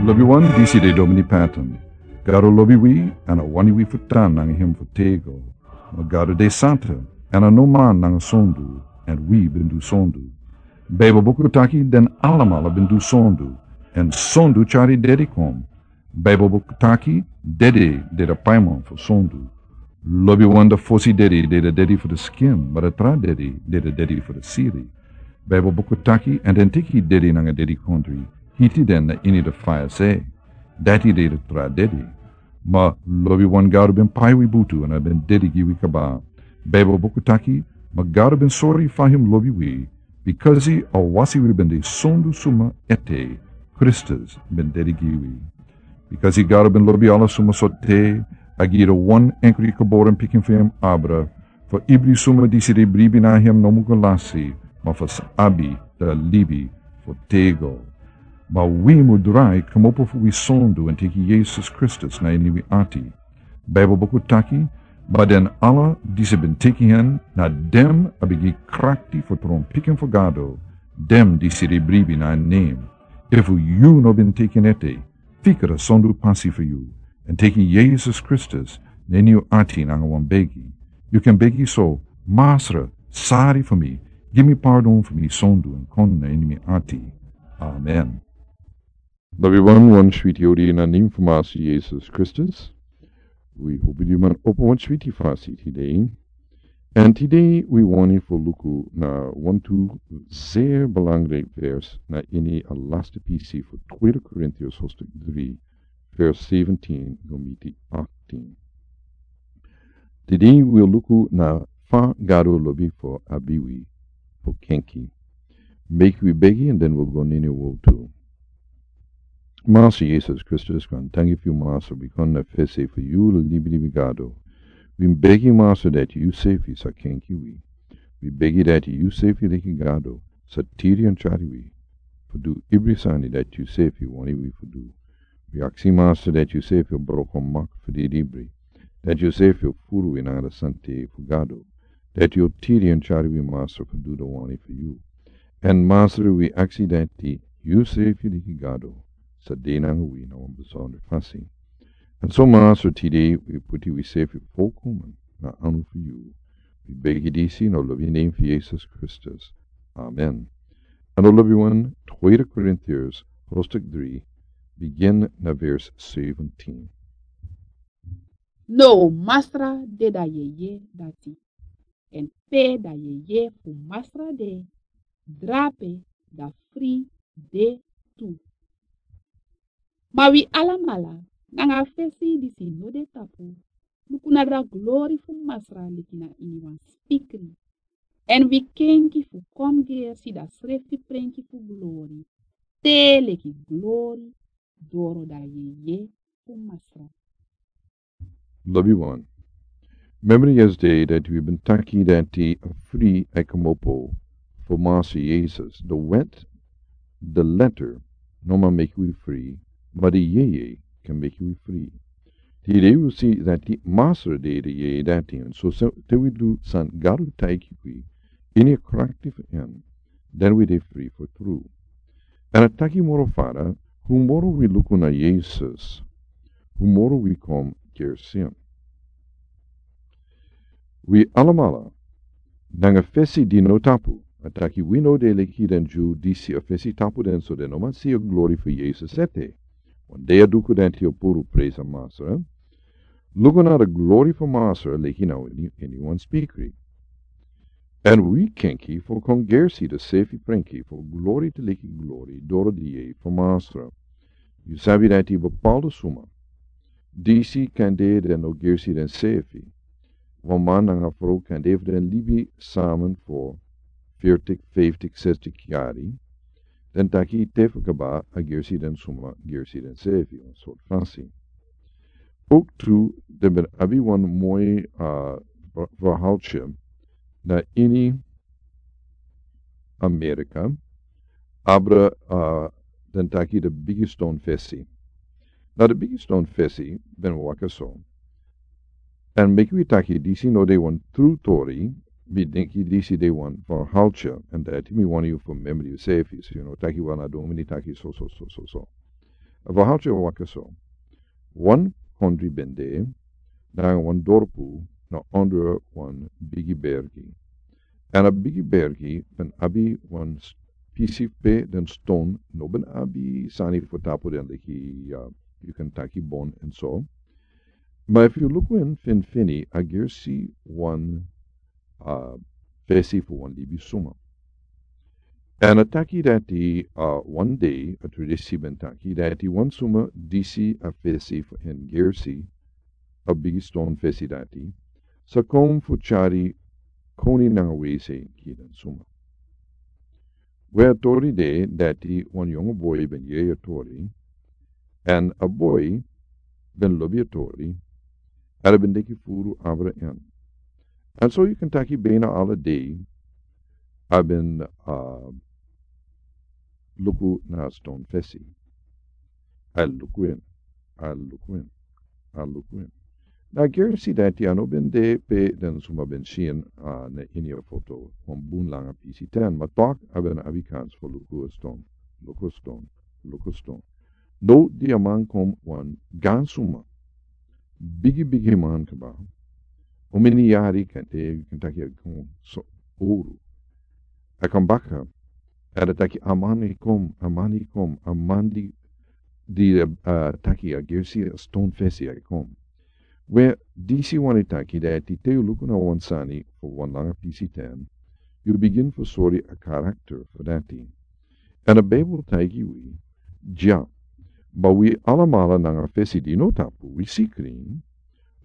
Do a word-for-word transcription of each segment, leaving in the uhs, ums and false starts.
Lobi wan, disi de Domini Patton. Gado lobi wi, èn a wani wi fu tan nanga hem fu tego. Ma Gado de santa, èn a no man nanga sondu, èn wi ben du sondu. Baibel buku taki den alamala ben du sondu, èn sondu tyari dedi kon. Baibel buku taki dede de da paiman fu sondu. Lobi wan, da fosi dedi de da dedi fu da skin, ma da tra dedi de da dedi fu da siri. Baibel buku taki, èn den teki dedi nanga dedikondri, hiti den na ini da faya se. Dati de da tra dedi. Ma lobi wan, Gado ben pai wi butu èn a ben dedi gi wi kaba. Baibel buku taki, ma Gado ben sori fa hem lobi wi, bikasi a wasi wi ben de sondu suma ete, Kristus ben dedi gi wi. Bikasi Gado ben lobi ala suma so te, a gi da wan enkri geboren pikin fu hem abra, fu ibri suma disi de bribi na hem no mu go lasi, ma fu sa abi da libi fu tego. Ma wi mu drai komopo fu wi sondu èn teki Yesus Kristus na ini wi ati. Baibel buku taki, ma den ala disi ben teki hen, na dem a ben gi krakti fu tron pikin fu Gado, dem disi de bribi na en nem. Efu yu no ben teki en ete, fika da sondu pasi fu yu, èn teki Yesus Kristus na ini yu ati nanga wan begi. Yu kan begi so: Masra, sari fu mi, gi mi pardon fu mi sondu èn kon na ini mi ati. Amen. Lobi wan, wan switi odi na nem fu Masra Yesus Kristus. Wi hopi yu man opo wan switi fasi tide. Èn tide wi wani fu luku na wantu zeer belangrijk vers na ini a laste pisi fu Tweede Korintiërs hoofdstuk drie, vers zeventien go miti achttien. Tide wi luku na fa Gado lobi fu abi wi fu kenki. Meki wi begi èn den wi go na ini a wowtu. Masra Yesus Kristus, kon tangi fu yu, Masra, wi kon na fesi fu yu, libelibi Gado. Wi begi, Masra, dati yusefi sa kenki wi. Wi begi dati yusefi leki Gado sa tiri èn tyari wi fu du ibri sani dati yusefi wani wi fu du. Wi aksi, Masra, dati yusefi o broko mak fu didibri, dati yusefi o furu wi nanga da sante fu Gado, dati yu o tiri èn tyari wi, Masra, fu du da wani fu yu. Èn Masra, wi aksi dati yusefi leki Gado sa de nanga wi na wan besondra fasi. Èn so, Masra, tide wi puti wisefi folkomen na anu fu yu. Wi begi disi na lobi nen fu Yesus Kristus. Amen. Èn na lobi wan, Tweede Korintiërs hoofdstuk drie, begin na vers zeventien. No, Masra de da yeye dati. Èn pe da yeye fu Masra de, drape da fri de tu. Ma wi alamala, nanga fesi disi no de tapu, luku na da glori fu Masra leki na ini wan spikri. Èn wi kenki fu kon gersi da srefi prenki fu glori, te leki glori doro da yeye fu Masra. Lobi wan. Memri yesde dati wi ben taki dati a fri e komopo fu Masra Yesus. Da wet, da letter, no man meki wi fri, ma da yeye kan meki wi fri. Tide wi si dati Masra de da yeye dati, èn so, so te wi du san Gado taigi wi ini a krakti fu en, dan wi de fri fu tru. Èn a taki moro fara, fu moro wi luku na Yesus, fu moro wi kon gersi en. Wi alamala, nanga fesi di no tapu, a taki wi no de leki den Dyu disi a fesi tapu den, so den no man si a glori fu Yesus ete. Wan dei a duku dati o puru, presa Masra. Luku na da glori fu Masra leki na ini, ini wan spikri. Èn wi kenki fu kon gersi da sefi prenki fu glori te leki glori doro da yeye fu Masra. Yu sabi dati bepaalde suma disi kande den no gersi densefi. Wan man nanga frow kande fu den libi samen fu veertig, vijftig, zestig yari. Den taki te fu kaba a gersi den suma gersi densefi, wan sort fasi. Ook tu, den ben abi wan moi, uh, verhaaltje na ini Amerika, abra, uh, den taki da Bigi Ston fesi. Na da Bigi Ston fesi ben waka so. Èn meki wi taki disi no de wan tru tori, mi denki disi de wan verhaaltje, èn dati mi wani yu fu memri yusefi, so yu no taki wan a domini taki so, so, so, so, so. A verhaaltye waka so. Wan kondre ben de, nanga wan dorpu na onder wan bigi bergi. En a bigi bergi ben abi wan s-, pisi pe den ston no ben abi sani fu tapu den leki, uh, yu kan taki bon en so. Ma efu yu luku en finfini, a gersi wan, uh, fesi fu wan libi suma. En a taki dati, uh, wan dei a tradisi ben taki dati wan suma disi a fesi fu en gersi, a bigi ston fesi dati, sa kon fu tyari koni nanga wese gi den suma. We a tori de dati wan yongu boi ben yere a tori, en a boi ben lobi a tori, en a ben deki furu abra en. En so yu kan taki bena ala dei a ben, uh, luku na a ston fesi. A luku en, a luku en, a luku en. Na gersi dati a no ben de pe den suma ben si en, uh, na ini a foto, wan bun langa pisi ten, ma tok a ben abi kans fu luku a ston, luku a ston, luku a ston. No, di a man kon wan gan suma. Bigi, bigi man kaba. Omeni yari kan te, yu kan taki a kon so oru. A kon baka. A de taki a man e kon, a man e kon, a man di, di, uh, taki a gersi a ston fesi e kon. We disi wani taki dati te yu luku na wan sani fu wan langa pisi ten, yu bigin fu sori a karakter fu dati. En a Bijbel taigi wi, ja, ma wi alamala nanga fesi di no tapu, wi si krin,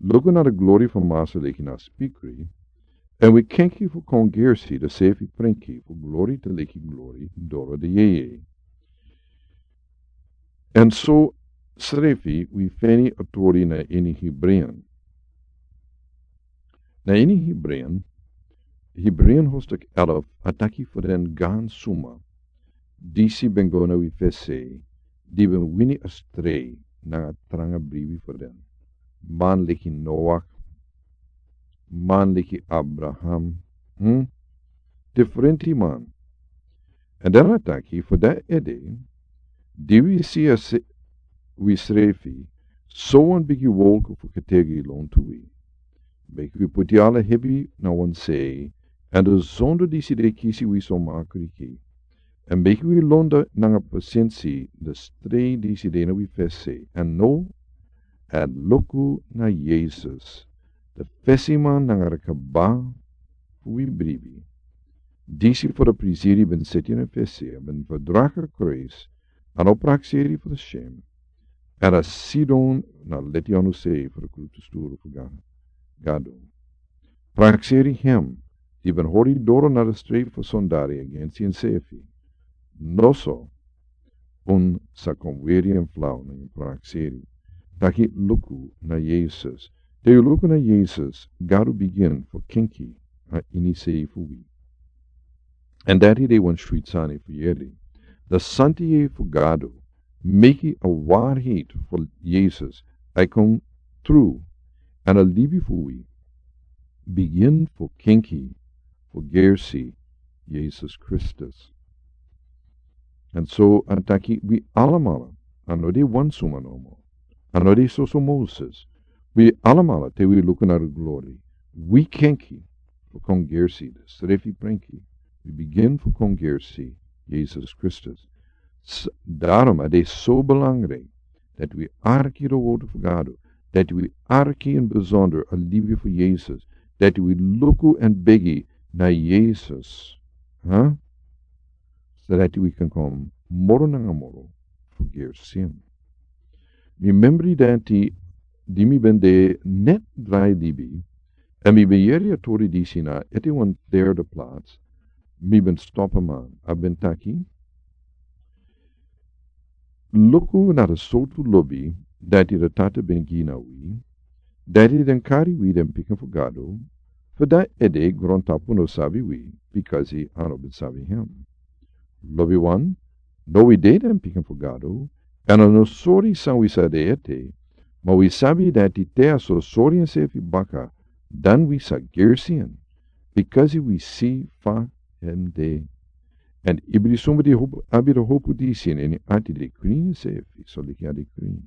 luku na de glori fu Masa leki na spikri, en wi kenki fu kon gersi de sefi prenki fu glori te leki glori doro de yeye. En so srefi wi feni a tori na ini Hebreeën. Na ini Hebreeën, Hebreeën hoofdstuk elf a taki fu den gan suma, disi ben go na wi fesi, di ben wini a strei nanga tranga bribi fu den. Man leki Noach, man leki Abraham, hm? Diferenti man. En dan a taki fu dati ede, di wi si a se-, wi srefi, so wan bigi wolk fu ketegi lontu wi. Meki wi puti ala hebi na wan sei, en de zonde disi de kisi wi so makriki. En meki wi londa nanga pasensi de strei disi de na wi fesi, en no, en luku na Yesus, de fesiman nanga de kaba fu wi bribi. Disi fu de prisiri ben seti na fesi, ben fu draka Christ, a no prakseri fu de shem, en a sidon na leti anu sei fu de krutu sturu fu Ga-, Gado. Prakseri hem, di ben hori doro na de strei fu sondari agensi ensefi. No so, un sa kon weri en flau na en prakseri. Taki luku na Yesus. Te yu luku na Yesus, Gado bigin fu kenki a ini sei fu wi. En dati de wan switi sani fu yeri. De santi yeye fu Gado, meki a waarheid fu Yesus, a kon tru, en a libi fu wi, bigin fu kenki fu gersi Yesus Kristus. En so a taki wi alamala, a no de wan suma nomo, a no de soso Moses, wi alamala te wi luku na de glori, wi kenki fu kon gersi de srefi prenki, wi bigin fu kon gersi Yesus Kristus. S-, daarom a de so belangrijk dati wi arki de woord fu Gado, dati wi arki in bijzonder a libi fu Yesus, dati wi luku en begi na Yesus, huh? So dati wi kan kon moro nanga moro fu gersi en. Mi memri dati di mi ben de net drai libi, en mi ben yeri a tori disi na ete wan derde plaats, mi ben stop a man, a ben taki, luku na de sortu lobi dati de Tata ben gi na wi, dati den kari wi den pikin fu Gado, fu dati ede grontapu no sabi wi, bikasi a no ben sabi hem. Lobiwan, no wi de den pikin fu Gado, en a no sori san wi sa de ete, ma wi sabi dati te a so sori ensefi baka, dan wi sa gersi en, bikasi wi si fa hem de. Èn ibri suma di hopu abi de hopu disi ini en ati, de krin sefi soliki a de krin.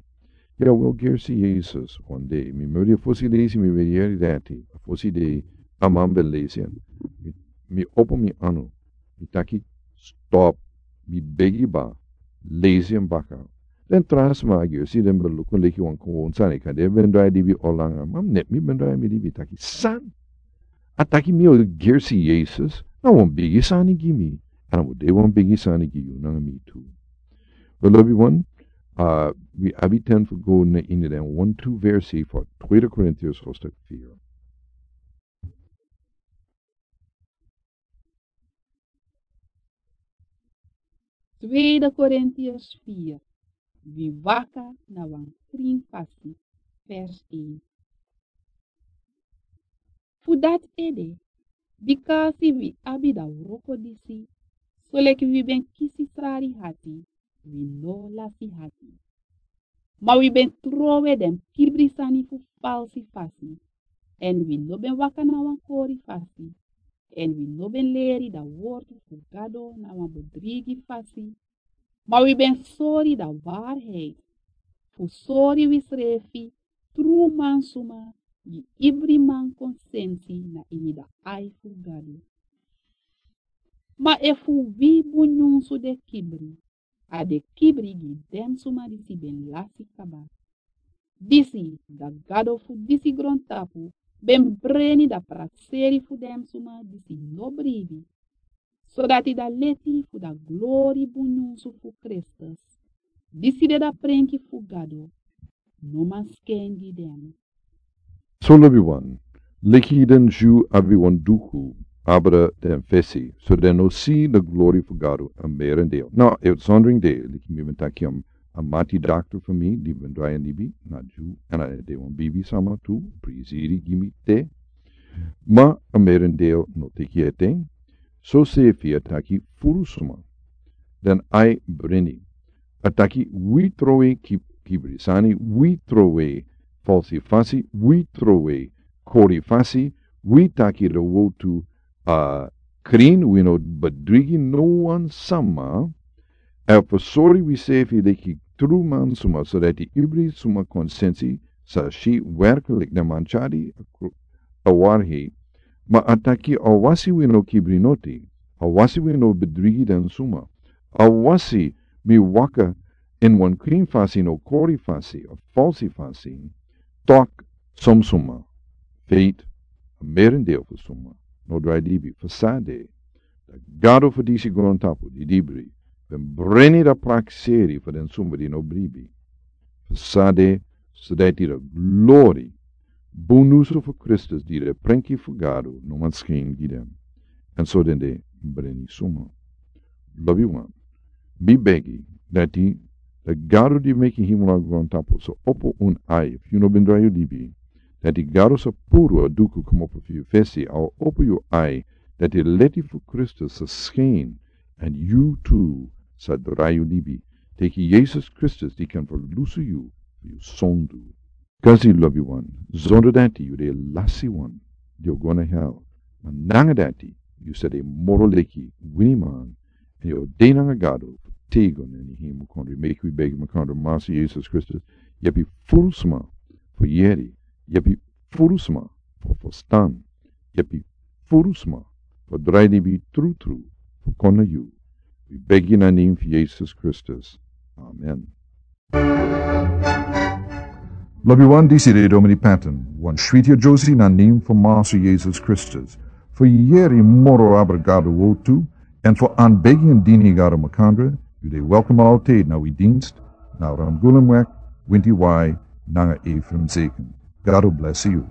Ya wel gersi Yesus wan dei. Mi meri a fosi leisi, mi meri yeri dati a fosi dei. A man ben leisi en. Mi opo mi anu, mi taki stop. Mi begi ba, leisi en baka. Den tra sma a gersi den ben luku leki wan kowon sani, kan den ben drai dibi olanga. Ma mi neti mi ben drai mi dibi taki san. A taki mi o gersi Yesus, na wan bigi sani gi mi. Èn a mus de wan bigi sani gi yu nanga mi tu. Belobi wan, a wi abi ten fu go na ini den wan tu versi fu Tweede Korintiërs hoofdstuk vier. Tweede Korintiërs vier. Wi waka na wan krin fasi. Vers één. Fu dati ede, bikasi wi abi da wroko disi, soleki wi ben kisi srari hati, wi no lasi hati. Ma wi ben trowe den kibri sani fu falsi fasi, èn wi no ben waka na wan kori fasi, èn wi no ben leri da wortu fu Gado na wan bedrigi fasi, ma wi ben sori da waarheid, fu sori wisrefi tru mansuma gi ibri man kon sensi na ini da ai fu Gado. Ma efu wi bun nyunsu de kibri, a de kibri gi den suma disi ben lasi kaba. Disi da Gado fu disi grontapu ben breni da prakseri fu den suma disi no bribi, sodati da leti fu da glori bun nyunsu fu Kristus, disi de da prenki fu Gado, no man sken gi den. So lobi wan, leki den Dyu abi wan duku abra den fesi, so den no si da glori fu Gado. A merendeel na uitzondering de, leki mi ben taki, a mati dakter fu mi di ben drai a libi na Dyu, èn a de wan bibi sama tu, prisiri gi mi te. Ma a merendeel no teki ete. So sefi a taki furu suma. Den ai breni. A taki wi trowe ki-, kibri sani, wi trowe falsi fasi, wi trowe kori fasi, wi taki da wotu a krin, wi no bedrigi no wan sama. A fu sori wi sefi leki tru mansuma, sodati ibri suma kon sensi sa si werklik na manchadi a kru-, a warhi. Ma a taki awasi wi no kibri noti, awasi wi no bedrigi den suma, awasi mi waka ini wan krin fasi, no kori fasi, a falsi fasi, tok som suma, feit, a merendeel fu suma no drai libi. Fu san de, da Gado fu disi grontapu di libri ben breni da prakseri fu den suma di no bribi. Fu san de, sodati da glori bun nyunsu fu Kristus di de prenki fu Gado no man skin gi den. Èn so den de breni suma. Lobi wan, mi begi dati da Gado di meki hemel nanga grontapu sa opo un ai, efu yu no ben drai yu libi, dati Gado sa puru a duku komopo fu yu fesi, a o opo yu ai, dati leti fu Kristus sa skin, èn yu tu sa drai yu libi, teki Yesus Kristus di kan ferlusu yu fu yu sondu. Kasi lobi wan, sondu dati yu de lasi wan di o go na hel. Ma nanga dati yu sa de moro leki winiman, èn yu o de nanga Gado fu têgo na ini hemel kondre. Meki wi begi makandra. Master Yesus Kristus, yepi furu sma fu yeri, yepi furu sma fu ferstan, yepi furu sma fu drai libi trutru fu kon na yu. Wi begi na nen fu Yesus Kristus. Amen. Lobi wan, disi de Domini Patton, wan switi a Josi na nen fu Master Yesus Kristus. Fu yeri moro abra Gado wotu, èn fu an begi èn dini Gado makandra, yu de welkom altijd na wi dienst, na Ramgoolam wek, winti wai, nanga Ephraim Zeken. Gado bless yu.